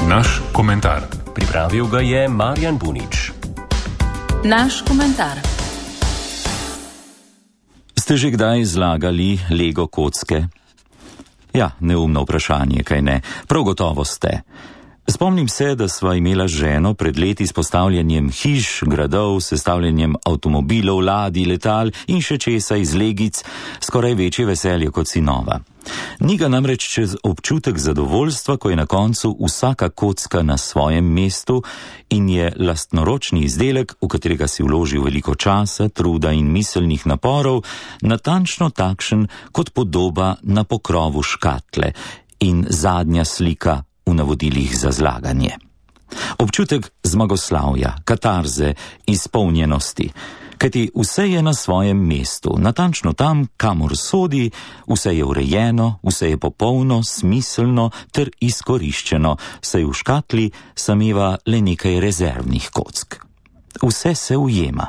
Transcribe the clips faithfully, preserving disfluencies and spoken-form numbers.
Naš komentar. Pripravil ga je Marjan Bunič. Naš komentar. Ste že kdaj zlagali Lego kocke? Ja, neumno vprašanje, kaj ne? Prav gotovo ste. Spomnim se, da sva imela z ženo pred leti s postavljanjem hiš, gradov, sestavljanjem avtomobilov, ladij, letal in še česa iz legic skoraj večje veselje kot sinova. Ni ga namreč čez občutek zadovoljstva, ko je na koncu vsaka kocka na svojem mestu in je lastnoročni izdelek, v katerega si vložil veliko časa, truda in miselnih naporov, natančno takšen kot podoba na pokrovu škatle in zadnja slika v navodilih za zlaganje. Občutek zmagoslavja, katarze, izpolnjenosti, kajti vse je na svojem mestu, natančno tam, kamor sodi, vse je urejeno, vse je popolno, smiselno ter izkoriščeno, saj v škatli sameva le nekaj rezervnih kock. Vse se ujema.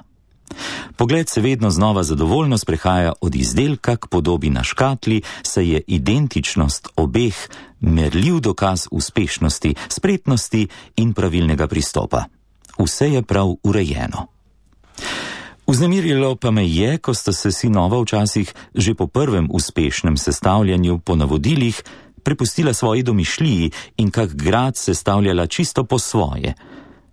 Pogled se vedno znova zadovoljno sprehaja od izdelka k podobi na škatli, saj je identičnost obeh merljiv dokaz uspešnosti, spretnosti in pravilnega pristopa. Vse je prav urejeno. Vznemirilo pa me je, ko sta se sinova včasih že po prvem uspešnem sestavljanju po navodilih prepustila svoji domišljiji in kak grad sestavljala čisto po svoje.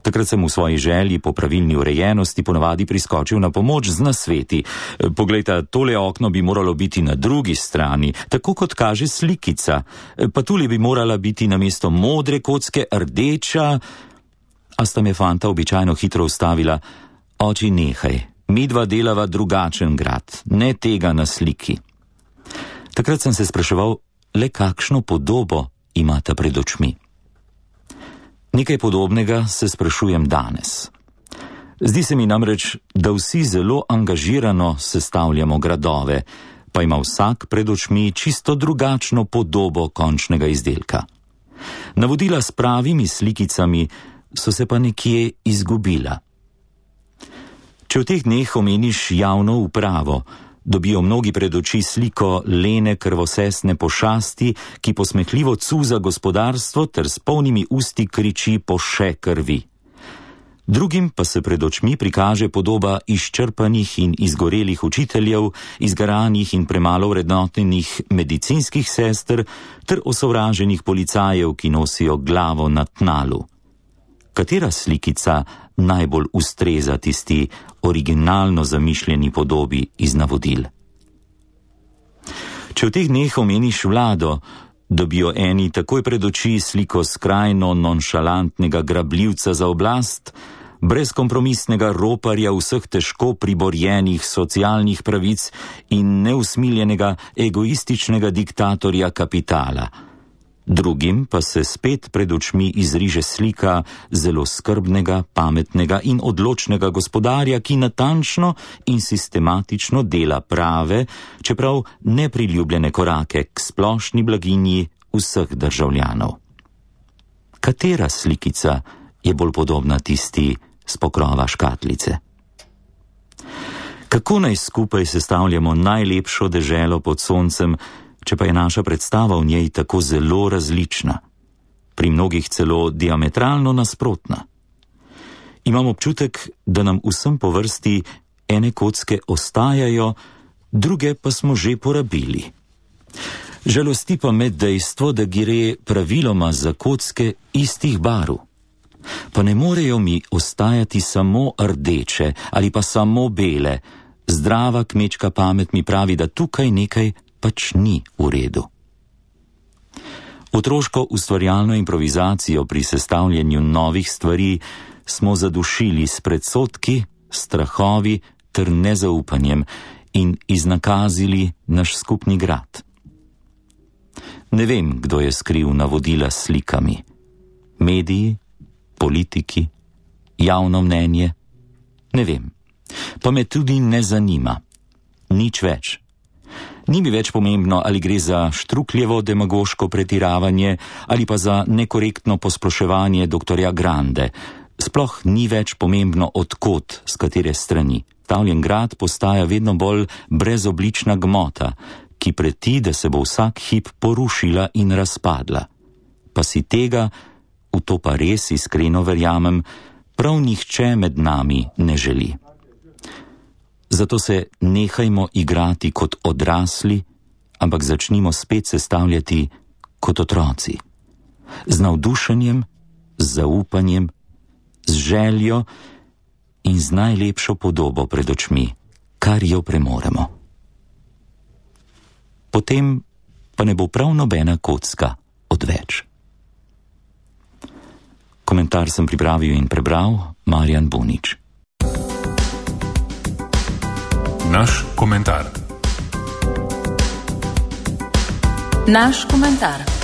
Takrat sem v svoji želji po pravilni urejenosti ponavadi priskočil na pomoč z nasveti. Poglejta, tole okno bi moralo biti na drugi strani, tako kot kaže slikica, pa tule bi morala biti namesto modre kocke rdeča, a sta me fanta običajno hitro ustavila. Oči, nehaj, midva delava drugačen grad, ne tega na sliki. Takrat sem se spraševal, le kakšno podobo imata pred očmi. Nekaj podobnega se sprašujem danes. Zdi se mi namreč, da vsi zelo angažirano sestavljamo gradove, pa ima vsak pred očmi čisto drugačno podobo končnega izdelka. Navodila s pravimi slikicami so se pa nekje izgubila. Če v teh dneh omeniš javno upravo, dobijo mnogi pred oči sliko lene krvosesne pošasti, ki posmehljivo cuza gospodarstvo ter s polnimi usti kriči po še krvi. Drugim pa se pred očmi prikaže podoba izčrpanih in izgorelih učiteljev, izgaranih in premalo vrednotenih medicinskih sester ter osovraženih policajev, ki nosijo glavo na tnalu. Katera slikica najbolj ustreza tisti originalno zamišljeni podobi iz navodil? Če v teh dneh omeniš vlado, dobijo eni takoj pred oči sliko skrajno nonšalantnega grabljivca za oblast, brezkompromisnega roparja vseh težko priborjenih socialnih pravic in neusmiljenega egoističnega diktatorja kapitala. Drugim pa se spet pred očmi izriže slika zelo skrbnega, pametnega in odločnega gospodarja, ki natančno in sistematično dela prave, čeprav nepriljubljene korake k splošni blaginji vseh državljanov. Katera slikica je bolj podobna tisti s pokrova škatlice? Kako naj skupaj sestavljamo najlepšo deželo pod soncem, če pa je naša predstava v njej tako zelo različna, pri mnogih celo diametralno nasprotna? Imam občutek, da nam vsem po vrsti ene kocke ostajajo, druge pa smo že porabili. Žalosti pa me dejstvo, da gre praviloma za kocke istih barv. Pa ne morejo mi ostajati samo rdeče ali pa samo bele. Zdrava kmečka pamet mi pravi, da tukaj nekaj pač ni v redu. Otroško ustvarjalno improvizacijo pri sestavljanju novih stvari smo zadušili s predsodki, strahovi ter nezaupanjem in iznakazili naš skupni grad. Ne vem, kdo je skril navodila s slikami. Mediji, politiki, javno mnenje? Ne vem. Pa me tudi ne zanima. Nič več. Ni mi več pomembno, ali gre za Štrukljevo demagoško pretiravanje ali pa za nekorektno posploševanje doktorja Grande. Sploh ni več pomembno odkot, s katere strani. Tavljen grad postaja vedno bolj brezoblična gmota, ki preti, da se bo vsak hip porušila in razpadla. Pa si tega v to pa res iskreno verjamem, prav nihče med nami ne želi. Zato se nehajmo igrati kot odrasli, ampak začnimo spet sestavljati kot otroci. Z navdušenjem, z zaupanjem, z željo in z najlepšo podobo pred očmi, kar jo premoremo. Potem pa ne bo prav nobena kocka odveč. Komentar sem pripravil in prebral Marjan Bunič. Naš komentar. Naš komentar.